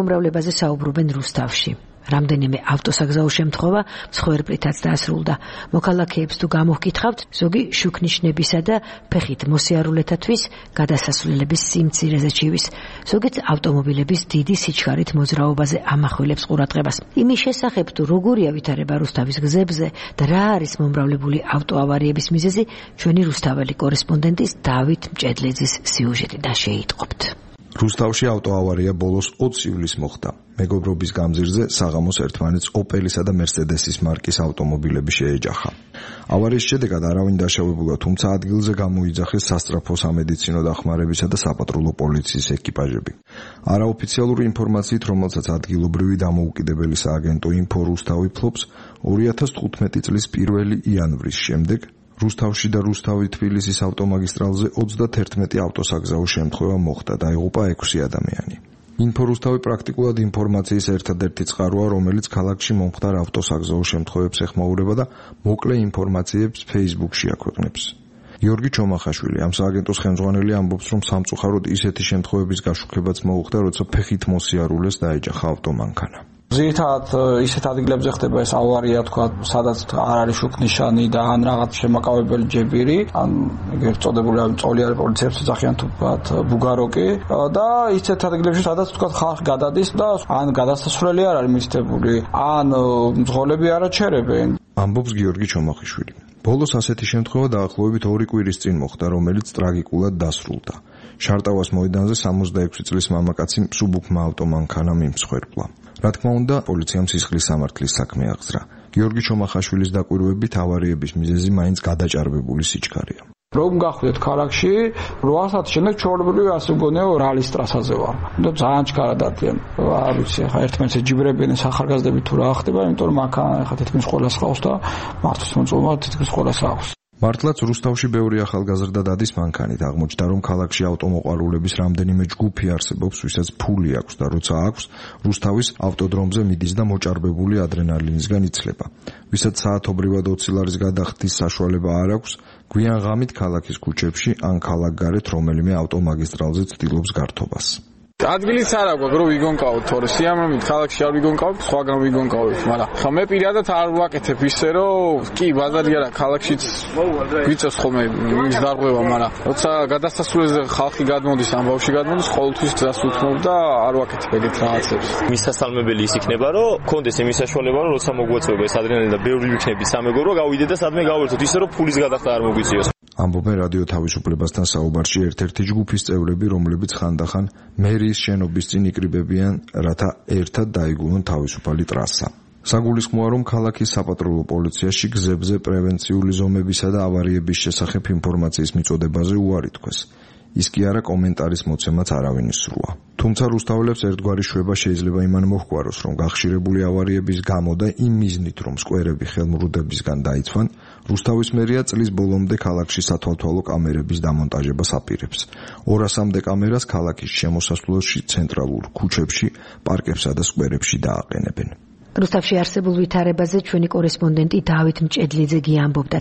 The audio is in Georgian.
მომრავლებაზე საუბრობენ რუსთავში. რამდენიმე ავტოსაგზაო შემთხვევა მსხვერპლითაც დაასრულდა. მოქალაქეებს თუ გამოვკითხავთ, ზოგი შუქნიშნებისა და ფეხით მოსიარულეთათვის გადასასვლელების სიმცირეზე ჩივის. ზოგიც ავტომობილების დიდი სიჩქარით მოძრაობაზე ამახვილებს ყურადღებას. იმის შესახებ თუ როგორია ვითარება რუსთავის გზებზე და რა არის მომრავლებული ავტოავარიების მიზეზი, ჩვენი რუსთაველი კორესპონდენტის დავით მჭედლიძის სიუჟეტიდან შეიტყობთ. რუსთავში ავტოავარია ბოლოს 20 ივლისს მოხდა. მეგობრობის გამზირზე საღამოს ერთმანეთს ოპელისა და მერსედესის მარკის ავტომობილები შეეჯახა. ავარიის შედეგად არავინ დაშავებულა, თუმცა ადგილზე გამოიძახეს სასწრაფო სამედიცინო დახმარებისა და საპატრულო პოლიციის ეკიპაჟები. არაოფიციალური ინფორმაციით, რომელსაც ადგილობრივი დამოუკიდებელი სააგენტო ინფო რუსთავი ფლობს, 2015 წლის 1 იანვრის შემდეგ რუსთავში და რუსთავი-თბილისის ავტომაგისტრალზე 31 ავტოსაგზაო შემთხვევა მოხდა და იღუპა 6 ადამიანი. ინფო რუსთავი პრაქტიკულად ინფორმაციის ერთადერთი წყაროა, რომელიც ქალაქში მომხდარ ავტოსაგზაო შემთხვევებს ეხმაურება და მოკლე ინფორმაციებს Facebook-ში აქვეყნებს. გიორგი ჩომახაშვილი, ამ სააგენტოს ხელმძღვანელი, ამბობს, რომ სამწუხაროდ ისეთი შემთხვევების გაშუქებაც მოუხდა, როცა ფეხით მოსიარულეს დაეჯახა ავტომანქანა. ზირთად ისეთ ადგილებზე ხდება ეს ავარია, თქვა, სადაც არ არის შუქნიშანი და ან რაღაც შემაკავებელი ჯებირი, ან ეგრეთ წოდებული წოლიანი პოლიციებს ეძახიან თუთ ბუგაროკი და ისეთ ადგილებში, სადაც თქვა ხალხი გადადის და ან გადასასვლელი არ არის მისდებული, ან მძღოლები არ აჩერებენ. ამბობს გიორგი ჩომახიშვილი. ბოლოს ასეთი შემთხვევა დაახლოებით 2 კვირის წინ მოხდა, რომელიც ტრაგიკულად დასრულდა. შარტავას მოედანზე 66 წლის მამაკაცი მსუბუქმა ავტომანქანამ იმსხვერპლა. რა თქმა უნდა, პოლიციამ სისხლის სამართლის საქმე აღძრა. გიორგი ჩომახაშვილის დაკვირვებით ავარიების მიზეზი მაინც გადაჭარბებული სიჩქარეა. რომ გახვდეთ ქალაქში 8 საათის შემდეგ ჩვეულებრივი ასე მგონია რალის ტრასაზე ვარ. და ძალიან ჩქარა დადიან. არ ვიცი, ხა ერთმანეთს ეჯიბრებიან ახალგაზრდები თუ რა ხდება, იმიტომ რომ მანქანა ხა თითქმის ყველას ყავს და მართვის მოწმობა თითქმის ყველას აქვს. მართლაც რუსთავში ბევრი ახალგაზრდა დადის მანქანით. აღმოჩნდა, რომ ქალაქში ავტომოყვარულების რამდენიმე ჯგუფი არსებობს, ვისაც ფული აქვს და როცა აქვს, რუსთავის ავტოდრომზე მიდის და მოჭარბებული ადრენალინისგან იცლება. ვისაც საათობრივად 20 ლარის გადახდის საშუალება არ აქვს, გვიან ღამით ქალაქის ქუჩებში ან ქალაქგარეთ რომელიმე ავტომაგისტრალზე ცდილობს გართობას. ადგილიც არ აქვს, რომ ვიგონკავთ, თორე სიამოვნებით ქალაქში არ ვიგონკავთ, სხვაგან ვიგონკავთ, მაგრამ ხა მე პირადად არ ვაკეთებ ისე, რომ კი, ბაზარი არა, ქალაქშიც გვიწევს ხოლმე ის დარღვევა, მაგრამ როცა გადასასვლელზე ხალხი გადმოდის, ამ ბავშვი გადმოდის, ყოველთვის ძას უთმობ და არ ვაკეთებ ეგეთ რაღაცებს. მისასალმებელი ის იქნება, რომ კონდეს იმის საშუალება, რომ როცა მოგვეწევა ეს ადრენალინი და ბევრი ვიქნები სამეგორო, გავიდე და სადმე გავერთოთ, ისე რომ ფულის გადახდა არ მოგვიწიოს. ამბობენ რადიო თავისუფლებასთან საუბარში ერთ-ერთი ჯგუფის წევრები, რომლებიც ხანდახან მერიის შენობის წინ იკრიბებიან, რათა ერთად დაიგულონ თავისუფალი ტრასა. საგულისხმოა, რომ ქალაქის საპატრულო პოლიციაში გზებზე პრევენციული ზომებისა და ავარიების შესახებ ინფორმაციის მიწოდებაზე უარი თქვეს. ის კი არა კომენტარის მოცემაც არავინ ისრუა. თუმცა რუსთაველებს ერთგვარი შვება შეიძლება იმან მოჰგვაროს, რომ გახშირებული ავარიების გამო და იმ მიზნით, რომ სკვერები ხელმრუდებისგან დაიცვან, რუსთავის მერია წლის ბოლომდე ქალაქში სათვალთვალო კამერების დამონტაჟებას აპირებს. 200-მდე კამერას ქალაქის შემოსასვლელში, ცენტრალურ ქუჩებში, პარკებსა და სკვერებში დააყენებენ. რუსთავში არსებულ ვითარებაზე ჩვენი კორესპონდენტი დავით მჭედლიძე ამბობდა.